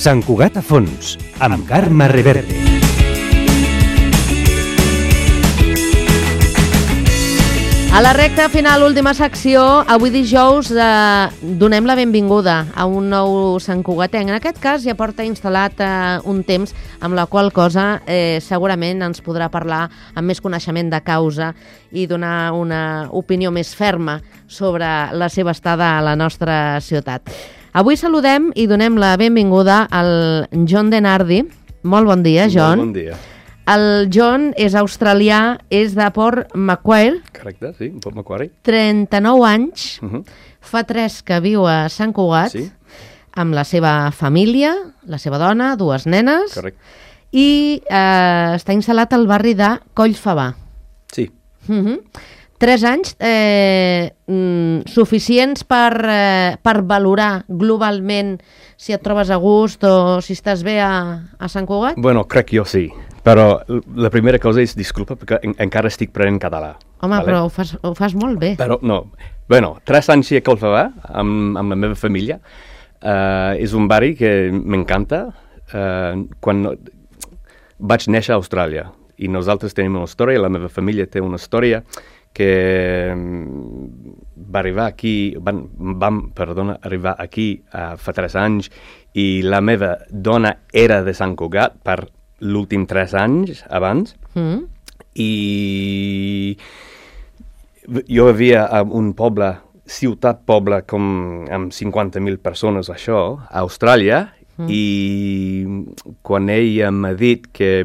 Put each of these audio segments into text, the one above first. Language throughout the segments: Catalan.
Sant Cugat a fons, amb Carme Reverte. A la recta final, última secció, avui dijous donem la benvinguda a un nou Sant Cugatenc. En aquest cas ja porta instal·lat un temps, amb la qual cosa segurament ens podrà parlar amb més coneixement de causa i donar una opinió més ferma sobre la seva estada a la nostra ciutat. Avui saludem i donem la benvinguda al John Denardi. Molt bon dia, John. Molt bon dia. El John és australià, és de Port Macquarie. Correcte, sí, Port Macquarie. 39 anys, fa 3 que viu a Sant Cugat, Sí. amb la seva família, la seva dona, 2 nenes, Correcte. i està instal·lat al barri de Collfabà. Sí. 3 anys suficients per valorar globalment si et trobes a gust o si estàs bé a Sant Cugat? Bueno, crec que jo sí. Però la primera cosa és, disculpa, perquè encara estic prenent català. Home, vale? però ho fas molt bé. Però no. Bueno, 3 anys a Collfabà, amb la meva família. És un barri que m'encanta. Quan vaig néixer a Austràlia i nosaltres tenim una història, la meva família té una història que va arribar aquí, vam arribar aquí fa 3 anys i la meva dona era de Sant Cugat per l'últim 3 anys abans i jo vivia a un poble, ciutat-poble amb 50.000 persones, això, a Austràlia, i quan ella m'ha dit que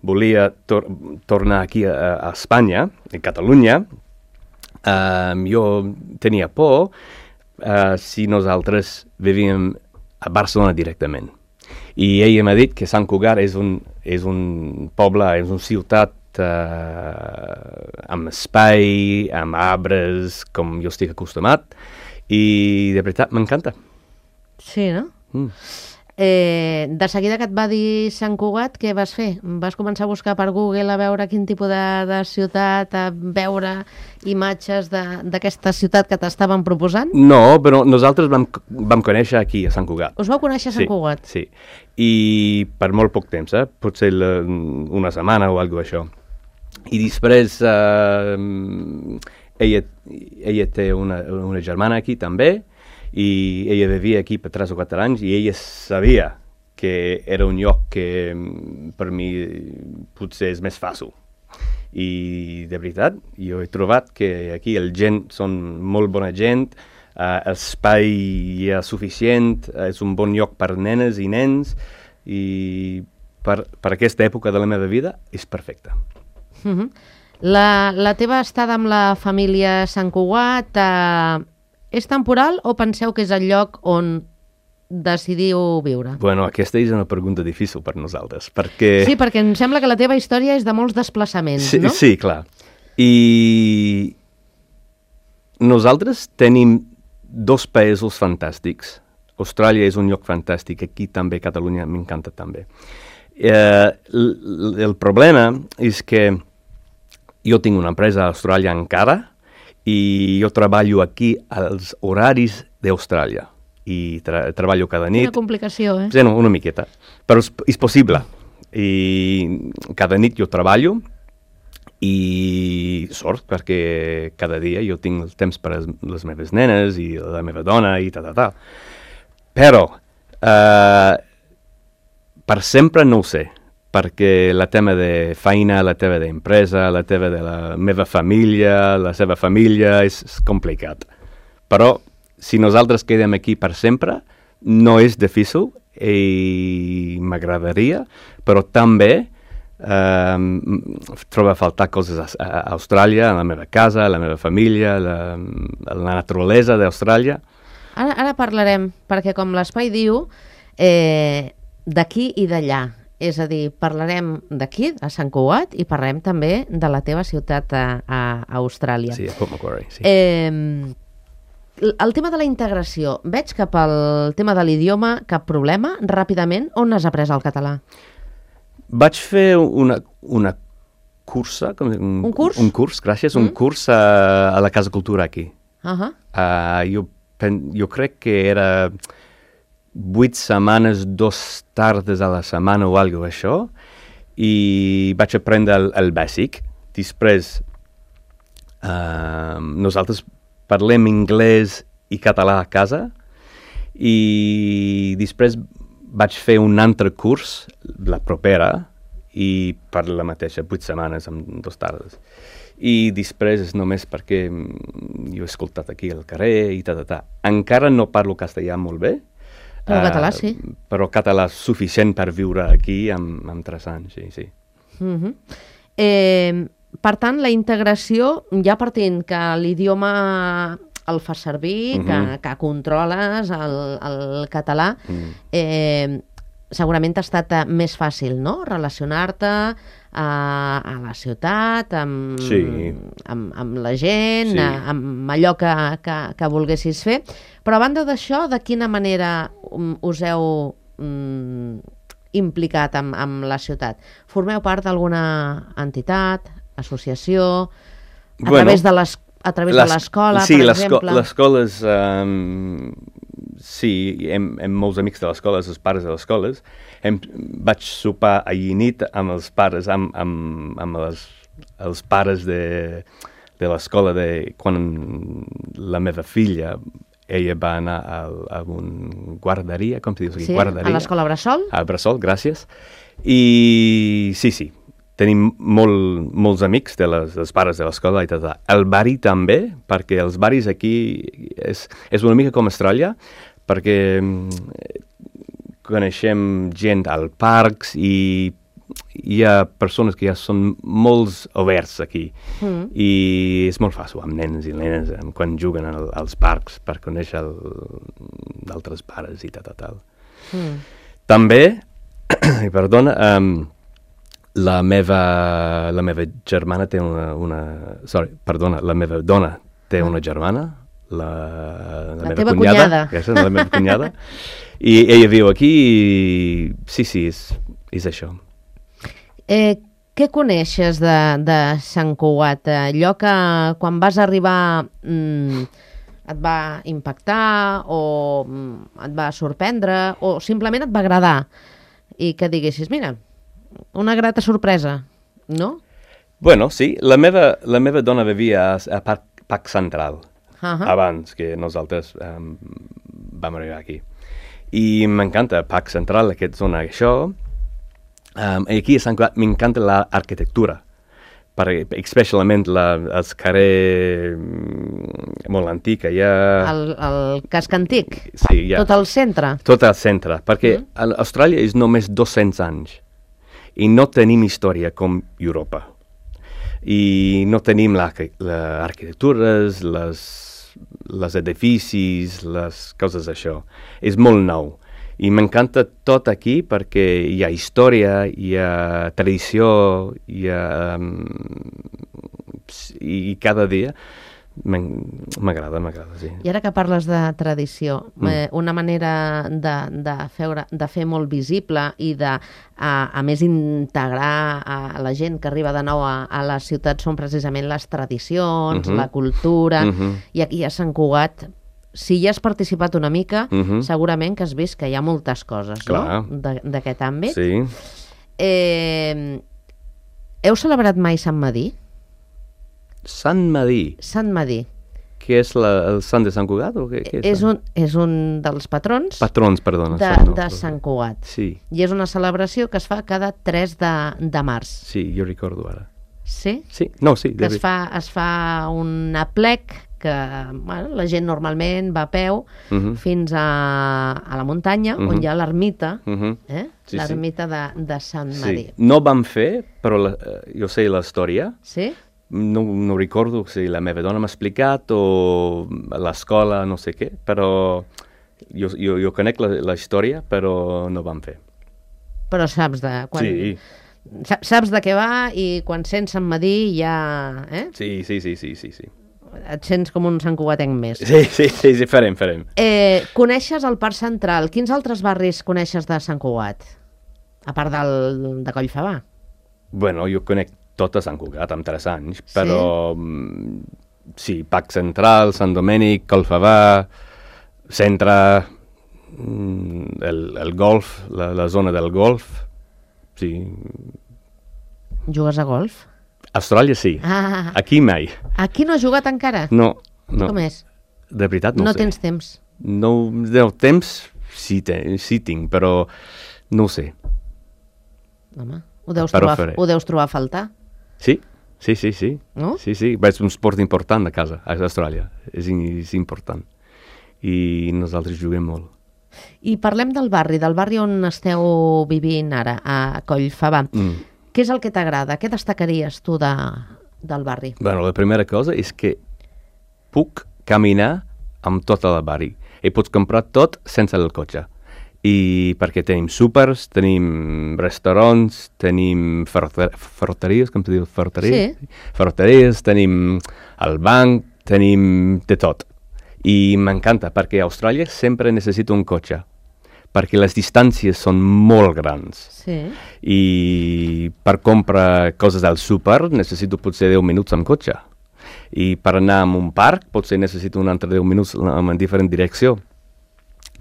volia tornar aquí a Espanya, a Catalunya, jo tenia por si nosaltres vivíem a Barcelona directament. I ella m'ha dit que Sant Cugat és un poble, és una ciutat amb espai, amb arbres, com jo estic acostumat, i de veritat m'encanta. Sí, no? De seguida que et va dir Sant Cugat, què vas fer? Vas començar a buscar per Google a veure quin tipus de ciutat, a veure imatges d'aquesta ciutat que t'estaven proposant? No, però nosaltres vam conèixer aquí, a Sant Cugat. Us vau conèixer a Sant Cugat? Sí, i per molt poc temps, potser una setmana o alguna cosa això. I després ella té una germana aquí també, i ella vivia aquí per 3 o 4 anys i ella sabia que era un lloc que per mi potser és més fàcil. I de veritat, jo he trobat que aquí el gent són molt bona gent, l'espai hi ha suficient, és un bon lloc per nenes i nens i per aquesta època de la meva vida és perfecte. La teva estada amb la família Sant Cugat és temporal o penseu que és el lloc on decidiu viure? Bueno, aquesta és una pregunta difícil per nosaltres, perquè... Sí, perquè em sembla que la teva història és de molts desplaçaments, no? Sí, clar. I nosaltres tenim 2 països fantàstics. Austràlia és un lloc fantàstic, aquí també, Catalunya m'encanta també. El problema és que jo tinc una empresa a Austràlia encara, i jo treballo aquí als horaris d'Austràlia i treballo cada nit. Quina complicació, eh? Sí, una miqueta, però és possible. I cada nit jo treballo i sort perquè cada dia jo tinc el temps per a les meves nenes i la meva dona i tal. Però per sempre no ho sé, perquè la tema de feina, la tema d'empresa, la tema de la meva família, la seva família, és complicat. Però si nosaltres quedem aquí per sempre, no és difícil i m'agradaria, però també trobo a faltar coses a Austràlia, a la meva casa, a la meva família, a la naturalesa d'Austràlia. Ara parlarem, perquè com l'espai diu, d'aquí i d'allà. És a dir, parlarem d'aquí, a Sant Cugat, i parlarem també de la teva ciutat a Austràlia. Sí, a Port Macquarie, sí. El tema de la integració, veig que pel tema de l'idioma cap problema, ràpidament, on has après el català? Vaig fer una cursa... Un curs? Un curs, gràcies, un curs a la Casa Cultura aquí. Uh-huh. Jo crec que era 8 setmanes, 2 tardes a la setmana o alguna cosa això, i vaig aprendre el bàsic. Després, nosaltres parlem anglès i català a casa, i després vaig fer un altre curs, la propera, i per la mateixa 8 setmanes amb 2 tardes. I després és només perquè jo he escoltat aquí al carrer i Encara no parlo castellà molt bé. Però català sí. Però català suficient per viure aquí amb 3 anys, sí. Per tant, la integració, ja partint que l'idioma el fas servir, que controles el català, segurament ha estat més fàcil, no?, relacionar-te a la ciutat, amb la gent, amb allò que volguessis fer. Però a banda d'això, de quina manera us heu implicat amb la ciutat? Formeu part d'alguna entitat, associació, a través de l'escola, per exemple? Les escoles, sí, hem molts amics de les escoles, els pares de les escoles. Vaig sopar ahir nit amb els pares, amb els pares de l'escola quan la meva filla, ella va anar a una guarderia, com se diu? Sí, a l'escola Bressol. A Bressol, gràcies. I sí, tenim molts amics dels pares de l'escola i tot. El barri també, perquè els barris aquí és una mica com Austràlia, perquè coneixem gent als parcs i hi ha persones que ja són molt oberts aquí i és molt fàcil amb nens i nenes quan juguen als parcs per conèixer d'altres pares i tal. També, perdona, la meva germana té la meva dona té una germana, la meva cunyada. La meva cunyada. I ella viu aquí i sí, és això. Què coneixes de Sant Cugat? Allò que quan vas arribar et va impactar o et va sorprendre o simplement et va agradar i que diguessis, mira, una grata sorpresa, no? Bueno, sí, la meva dona vivia a Parc Central abans que nosaltres vam arribar aquí. I m'encanta Parc Central, aquesta zona, això. Aquí a Sant Cugat m'encanta l'arquitectura, especialment els carrers molt antics. El casc antic? Sí, tot el centre? Tot el centre, perquè Austràlia és només 200 anys i no tenim història com Europa. I no tenim l'arquitectura, les edificis, les coses d'això. És molt nou. I m'encanta tot aquí perquè hi ha història, hi ha tradició, i cada dia m'agrada, sí. I ara que parles de tradició, una manera de fer molt visible i a més integrar a la gent que arriba de nou a les ciutats són precisament les tradicions, la cultura, i aquí a Sant Cugat, si hi has participat una mica, segurament que has vist que hi ha moltes coses, no?, d'aquest àmbit. Sí. Heu celebrat mai Sant Medir? Sant Medir? Sant Medir. Que és el Sant de Sant Cugat? O què és un dels patrons. Patrons, perdona. De Sant Cugat. Sí. I és una celebració que es fa cada 3 de març. Sí, jo recordo ara. Sí? Sí, no, sí. Que es fa un aplec que la gent normalment va a peu fins a la muntanya, on hi ha l'ermita, l'ermita de Sant Medir. No vam fer, però jo sé la història. Sí? No recordo si la meva dona m'ha explicat o l'escola, no sé què, però jo conec la història, però no vam fer. Però saps de... Sí. Saps de què va i quan sents Sant Medir ja... Sí. Et sents com un santcugatenc més. Sí, farem. Coneixes el Parc Central. Quins altres barris coneixes de Sant Cugat? A part de Collfabà. Bueno, jo conec tot a Sant Cugat, amb 3 anys, però sí, Parc Central, Sant Domènec, Collfabà, Centre, el golf, la zona del golf, sí. Jugues a golf? A Austràlia sí, aquí mai. Aquí no has jugat encara? No. Com és? De veritat no sé. No tens temps? No, temps sí tinc, però no ho sé. Home, ho deus trobar a faltar? Sí. No? Sí, és un esport important a casa, a Austràlia. És important. I nosaltres juguem molt. I parlem del barri on esteu vivint ara, a Collfabà. Què és el que t'agrada? Què destacaries tu del barri? Bueno, la primera cosa és que puc caminar amb tot el barri i pots comprar tot sense el cotxe. I perquè tenim súpers, tenim restaurants, tenim ferreteries, com se diu? Ferreteries? Sí. Ferreteries, tenim el banc, tenim de tot. I m'encanta, perquè a Austràlia sempre necessito un cotxe, perquè les distàncies són molt grans. Sí. I per comprar coses al súper necessito potser 10 minuts amb cotxe. I per anar a un parc potser necessito un altre 10 minuts en diferent direcció.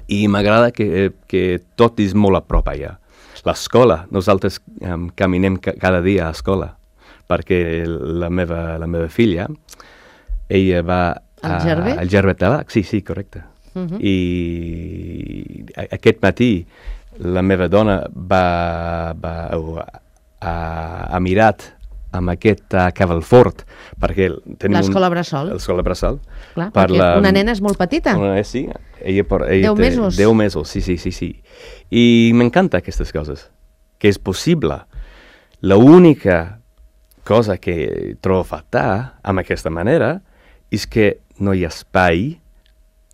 I m'agrada que tot és molt a prop allà. L'escola, nosaltres caminem cada dia a l'escola, perquè la meva filla, ella va al Gerbet Tabac, sí, correcte. I aquest matí la meva dona ha mirat amb aquest cavalfort, perquè tenim l'escola Bressol. L'escola Bressol. Clar, perquè una nena és molt petita. Sí, ella 10 mesos. 10 mesos, sí. I m'encanta aquestes coses, que és possible. L'única cosa que trobo faltar amb aquesta manera és que no hi ha espai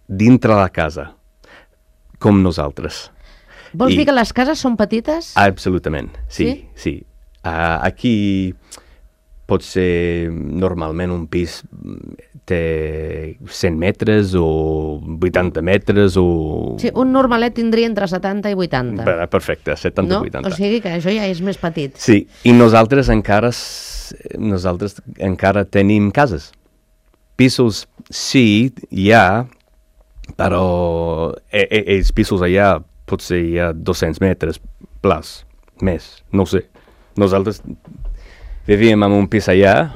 dintre la casa, com nosaltres. Vols dir que les cases són petites? Absolutament, sí. Aquí pot ser normalment un pis té 100 metres o 80 metres o... Sí, un normalet tindria entre 70 i 80. Perfecte, 70 i 80. O sigui que això ja és més petit. Sí, i nosaltres encara tenim cases. Pisos sí, hi ha, però els pisos allà potser hi ha 200 metres plus, més, no ho sé. Nosaltres vivíem en un pis allà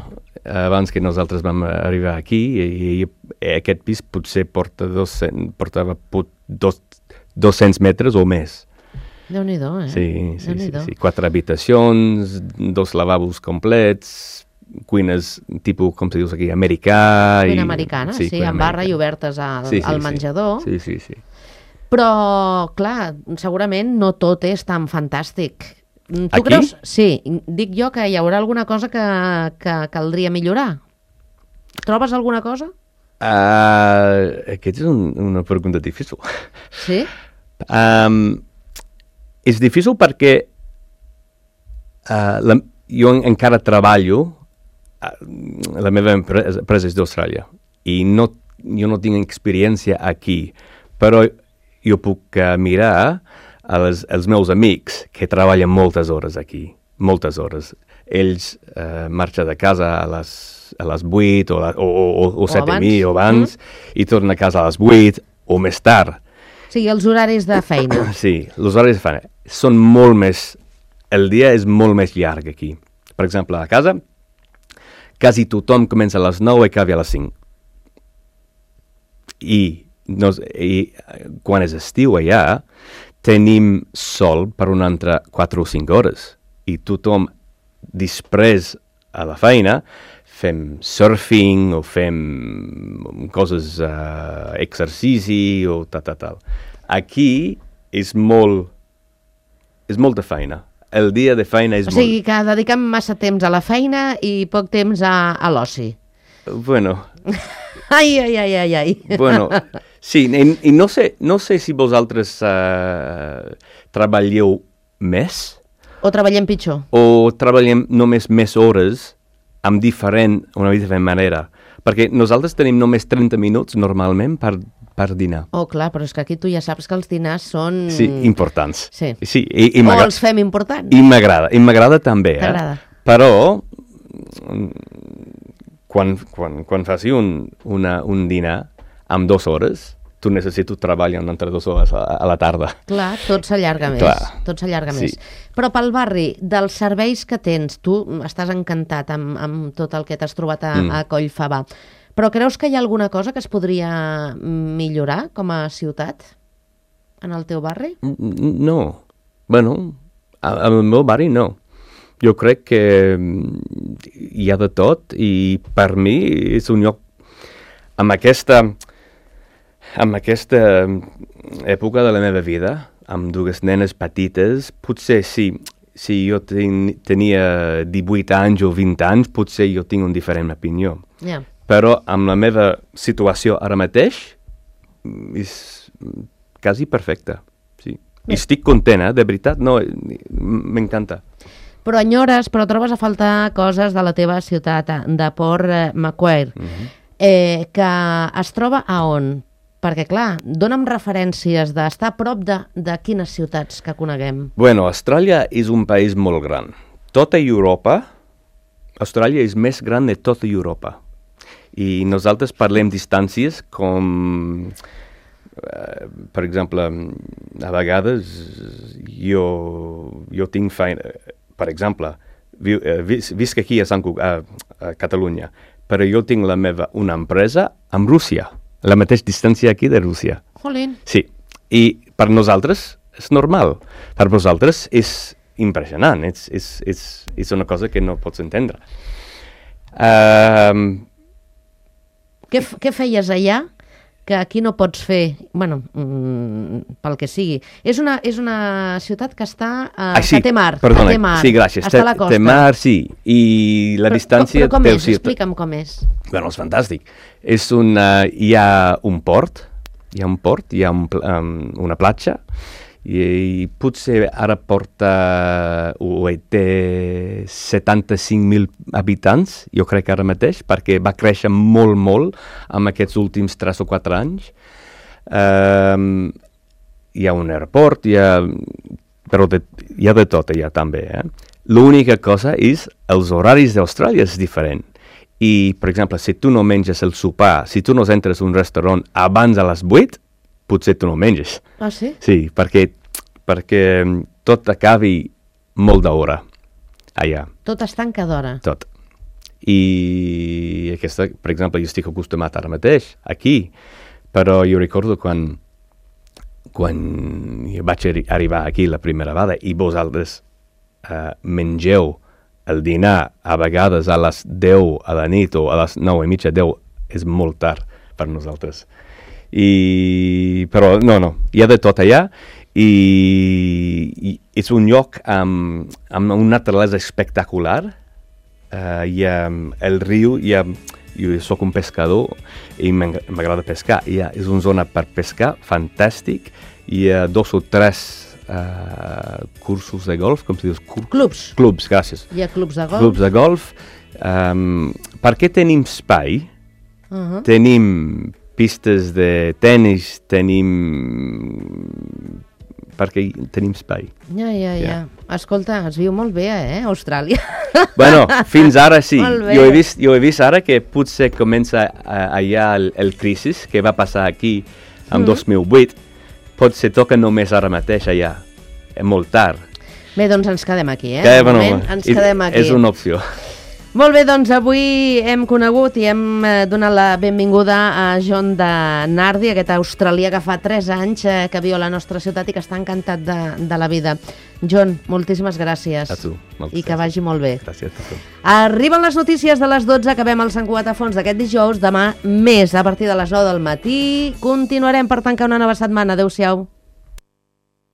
abans que nosaltres vam arribar aquí i aquest pis potser portava 200 metres o més. Déu-n'hi-do, Sí. 4 habitacions, 2 lavabos complets, cuines tipus, com se diu aquí, americà. Cuina americana, sí, amb barra i obertes al menjador. Sí. Però, clar, segurament no tot és tan fantàstic. Tu aquí? Creus? Sí, dic jo que hi haurà alguna cosa que caldria millorar. Trobes alguna cosa? Aquesta és una pregunta difícil. Sí? És difícil perquè jo encara treballo, la meva empresa és d'Austràlia, i jo no tinc experiència aquí, però jo puc mirar els meus amics que treballen moltes hores aquí, moltes hores. Ells marxen de casa a les 8 o 7:30 o abans i tornen a casa a les 8 o més tard. O sigui, els horaris de feina. Sí, els horaris de feina són molt més... El dia és molt més llarg aquí. Per exemple, a casa, quasi tothom comença a les 9 i acaba a les 5. I quan és estiu allà, tenim sol per un altre 4 o 5 hores. I tothom, després a la feina, fem surfing o fem coses, exercici o tal. Aquí és molta feina. El dia de feina és molt... O sigui que dediquem massa temps a la feina i poc temps a l'oci. Bueno... Ai. Bueno, sí, i no sé si vosaltres treballeu més... O treballem pitjor. O treballem només més hores amb una diferent manera. Perquè nosaltres tenim només 30 minuts normalment per dinar. Oh, clar, però és que aquí tu ja saps que els dinars són... Sí, importants. Sí, i o els fem importants. I m'agrada també. T'agrada. Però quan faci un dinar amb 2 hores, tu necessites treballar entre 2 hores a la tarda. Clar, tot s'allarga més. Clar. Tot s'allarga Sí. més. Però pel barri, dels serveis que tens, tu estàs encantat amb tot el que t'has trobat a Collfabà, però creus que hi ha alguna cosa que es podria millorar com a ciutat en el teu barri? No. Bueno, al meu barri no. Jo crec que hi ha de tot i per mi és un lloc amb aquesta època de la meva vida, amb 2 nenes petites, potser si jo tenia 18 anys o 20 anys, potser jo tinc una diferent opinió. Ja. Però amb la meva situació ara mateix és quasi perfecta. Sí. Estic content, de veritat, no, m'encanta. Però enyores, però trobes a faltar coses de la teva ciutat, de Port Macquarie, que es troba a on? Perquè, clar, dona'm referències d'estar a prop de quines ciutats que coneguem. Bueno, Austràlia és un país molt gran. Tota Europa, Austràlia és més gran de tota Europa. I nosaltres parlem distàncies com, per exemple, a vegades jo tinc feina, per exemple, visc aquí a Catalunya, però jo tinc una empresa amb Rússia, la mateixa distància aquí de Rússia. Jolín. Sí, i per nosaltres és normal, per vosaltres és impressionant, és una cosa que no pots entendre. Què feies allà que aquí no pots fer? Bueno, pel que sigui. És una ciutat que està... que té mar. Perdona, té mar. Sí, gràcies. Està a la costa. Té mar, sí, i la distància... Però com és? Explica'm com és. Bueno, és fantàstic. Hi ha un port, hi ha una platja, i potser ara té 75.000 habitants, jo crec ara mateix, perquè va créixer molt, molt en aquests últims 3 o 4 anys. Hi ha un aeroport, però hi ha de tot allà també. L'única cosa és els horaris d'Austràlia és diferent. I, per exemple, si tu no menges el sopar, si tu no entres a un restaurant abans de les 8, potser tu no menges. Ah, sí? Sí, perquè tot acabi molt d'hora allà. Tot es tanca d'hora. Tot. I aquesta, per exemple, jo estic acostumat ara mateix, aquí, però jo recordo quan jo vaig arribar aquí la primera vegada i vosaltres mengeu el dinar a vegades a les 10 a la nit o a les 9:30, 10, és molt tard per nosaltres. Però no, hi ha de tot allà i és un lloc amb una naturalesa espectacular. Hi ha el riu, jo soc un pescador i m'agrada pescar. És una zona per pescar fantàstic. Hi ha 2 o 3 cursos de golf, com si dius? Clubs. Clubs, gràcies. Hi ha clubs de golf. Clubs de golf. Perquè tenim espai, tenim pistes de tenis, perquè tenim espai. Ja. Escolta, es viu molt bé, Austràlia. Bueno, fins ara sí. Jo he vist ara que potser comença allà el crisi que va passar aquí en 2008. Potser toca només ara mateix allà. Molt tard. Bé, doncs ens quedem aquí, ens quedem aquí. És una opció. Molt bé, doncs avui hem conegut i hem donat la benvinguda a John de Nardi, aquest australià que fa 3 anys que viu a la nostra ciutat i que està encantat de la vida. John, moltíssimes gràcies. A tu. I que vagi molt bé. Gràcies a tu. Arriben les notícies de les 12, acabem el Sant Cugat a Fons d'aquest dijous. Demà més, a partir de les 9 del matí. Continuarem per tancar una nova setmana. Adéu-siau.